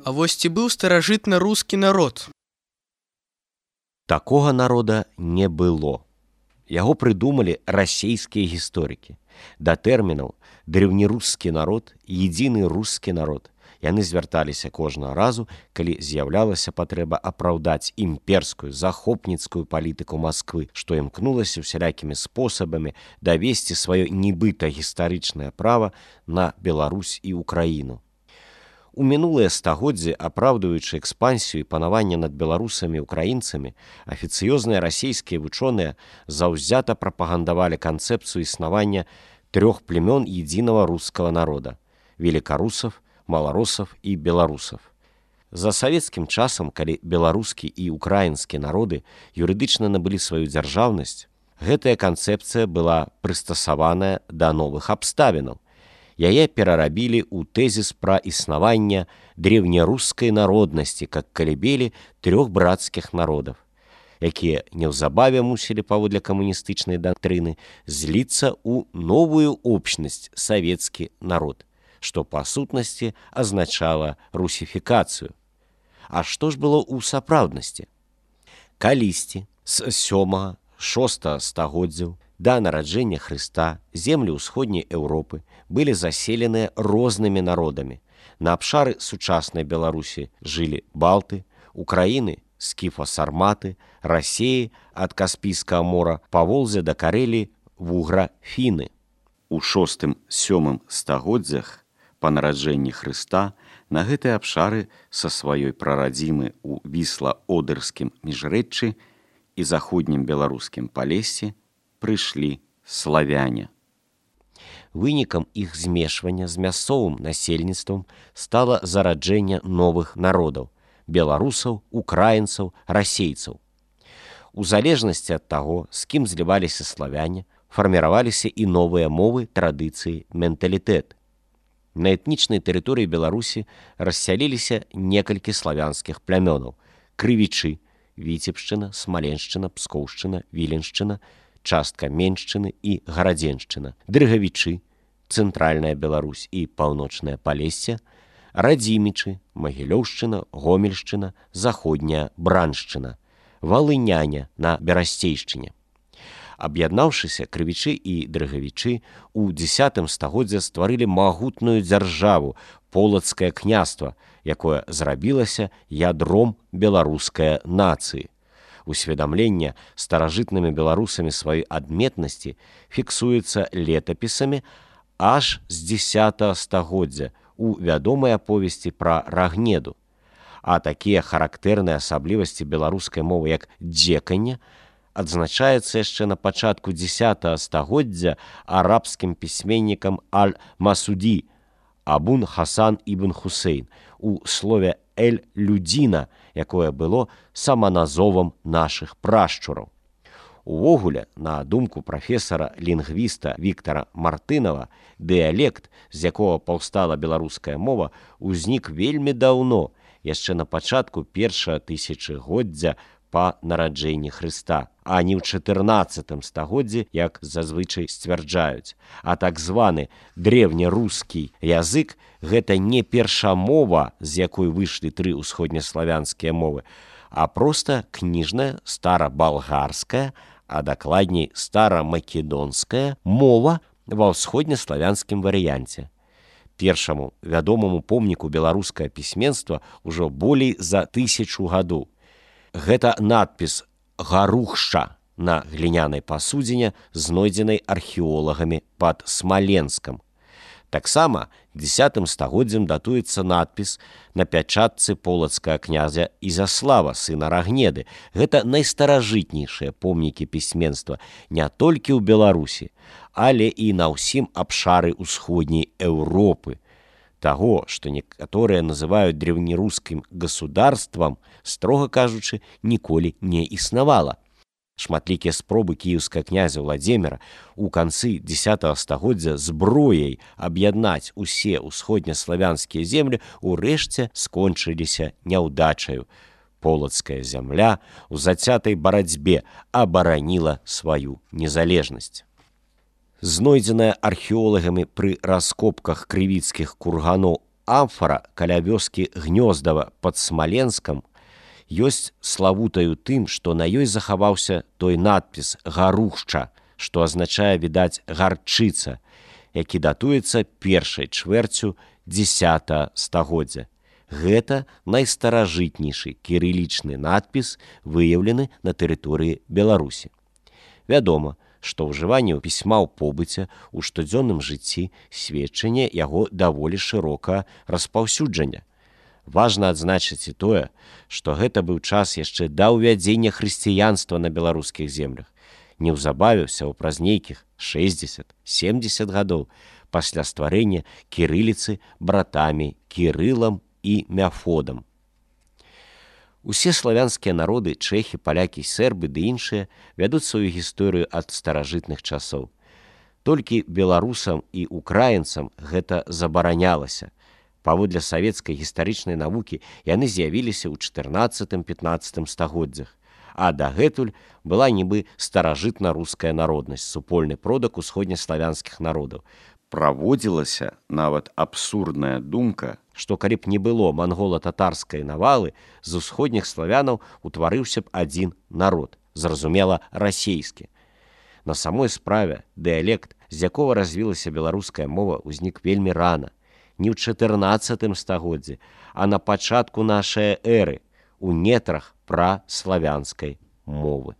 А вось ці быў старажытна рускі народ? Такога народа не было. Яго прыдумалі расейскія гісторыкі. Да тэрмінаў древнерускі народ, едины рускі народ яны звярталіся кожнага разу, калі з'яўлялася патрэба апраўдаць імперскую захопніцкую палітыку Масквы, што імкнулася усялякімі спосабамі давесці сваё нібыта гістарычнае права на Беларусь і Украіну. У мінулыя стагоддзі, апраўдваючы экспансію і панаванне над беларусамі і украінцамі, афіцыёзныя расейскія вучоныя заўзята прапагандавалі канцэпцыю існавання трох племён единого рускага народа – великарусаў, маларосаў і беларусаў. За савецкім часам, калі беларускі і украінскі народы юрыдычна набылі сваю дзяржаўнасць, гэтая канцэпцыя была прыстасаваная да новых абставінаў. Яе перарабілі ў тэзіс пра існаванне древнерускай народнасці как калібелі трох брацкіх народаў, якія неўзабаве мусілі паводле камуністычнай дактрыны зліцца ў новую общнасць савецкі народ, што па сутнасці азначала русіфікацыю. А што ж было ў сапраўднасці? Калісьці з 7-6 стагоддзяў да нараджэння Хрыста землі ўсходняй Еўропы былі заселеныя рознымі народамі. На абшары сучаснай Беларусі жылі балты, Украіны – скіфа-сарматы, Расеі ад Каспійскага мора па Волзе да Карэліі вугра-фіны. У 6-7 стагоддзях па нараджэнні Хрыста на гэтай абшары са сваёй прарадзімы ў Вісла-Одэрскім міжрэччы і заходнім беларускім Палессі прыйшлі славяне. Вынікам іх змешвання з мясцовым насельніцтвам стала зараджэнне новых народаў – беларусаў, украінцаў, расейцаў. У залежнасці ад таго, з кім зліваліся славяне, фарміраваліся і новыя мовы, традыцыі, менталітэт. На этнічнай тэрыторыі Беларусі рассяліліся некалькі славянскіх плямёнаў – крывічы, Віцебшчына, Смаленшчына, Пскоўшчына, Віленшчына, частка Меншчыны і Гарадзеншчына, дрыгавічы, цэнтральная Беларусь і паўночнае Палессе, радзімічы, Магілёўшчына, Гомельшчына, заходняя Браншчына, валыняне на Берасцейшчыне. Аб'яднаўшыся, крывічы і дрыгавічы ў 10 стагоддзя стварылі магутную дзяржаву полацкае княства, якое зрабілася ядром беларускай нацыі. Усведамленне старажытнымі беларусамі сваёй адметнасці фіксуецца летапісамі аж з 10 стагоддзя у вядомай аповесці пра Рагнеду. А такія характэрныя асаблівасці беларускай мовы, як дзеканне, адзначаецца яшчэ на пачатку 10 стагоддзя арабскім пісьменнікам Аль-Масуді Абун Хасан ібн Хусейн у слове «эль-людзіна», якое было саманазовам нашых прашчураў. Увогуле, на думку прафесара-лінгвіста Віктара Мартынава, дыялект, з якога паўстала беларуская мова, узнік вельмі даўно, яшчэ на пачатку першага тысячагоддзя па нараджэнні Хрыста, а не ў 14 стагоддзі, як зазвычай сцвярджаюць. А так званы древнерускі язык – гэта не першамова, з якой выйшлі 3 усходнеславянскія мовы, а проста кніжная старабалгарская, а дакладней старамакедонская мова ва ўсходнеславянскім варыянце. Першаму вядомаму помніку беларускае пісьменства ўжо болей за 1000 гадоў. Гэта надпіс «Гарухша» на глінянай пасудзіне, знойдзенай археолагамі пад Смаленскам. Таксама 10 стагоддзям датуецца надпіс на пячатцы полацкага князя Ізяслава, сына Рагнеды. Гэта найстаражытнейшыя помнікі пісьменства не толькі ў Беларусі, але і на ўсім абшары ўсходняй Еўропы. Таго, што некаторыя называюць древнерускім государствам, строга кажучы, ніколі не існавала. Шматлікія спробы кіеўскага князя Владзіміра ў канцы 10 стагоддзя зброяй аб'яднаць усе ўсходнеславянскія землі урэшце скончыліся няўдачаю. Полацкая зямля ў зацятай барацьбе абараніла сваю незалежнасць. Знойдзеная археолагамі пры раскопках крывіцкіх курганоў амфара каля вёскі Гнёздава пад Смаленскам ёсць славутаю тым, што на ёй захаваўся той надпіс «Гарушча», што азначае, відаць, гарчыца, які датуецца першай чвэрцю 10 стагоддзя. Гэта найстаражытнейшы кірылічны надпіс, выяўлены на тэрыторыі Беларусі. Вядома, што ўжыванне пісьма ў побыце ў штодзённым жыцці сведчанне яго даволі шырока распаўсюджання. Важна адзначыць і тое, што гэта быў час яшчэ да ўвядзення хрысціянства на беларускіх землях. Неўзабаве ўсяго праз нейкіх 60-70 гадоў пасля стварэння кірыліцы братамі Кірылам і Мяфодам. Усе славянскія народы, чэхі, палякі, сербы ды іншыя вядуць сваю гісторыю ад старажытных часоў. Толькі беларусам і украінцам гэта забаранялася. Паводле савецкай гістарычнай навукі яны з'явіліся ў 14-15 стагоддзях, а дагэтуль была нібы старажытна-руская народнасць, супольны продак усходнеславянскіх народаў. Праводзілася нават абсурдная думка, што калі б не было мангола-татарскай навалы, з усходніх славянаў утварыўся б адзін народ, зразумела, расейскі. На самой справе дыялект, з якога развілася беларуская мова, узнік вельмі рана, не ў 14 стагоддзі, а на пачатку нашай эры, у нетрах праславянскай мовы.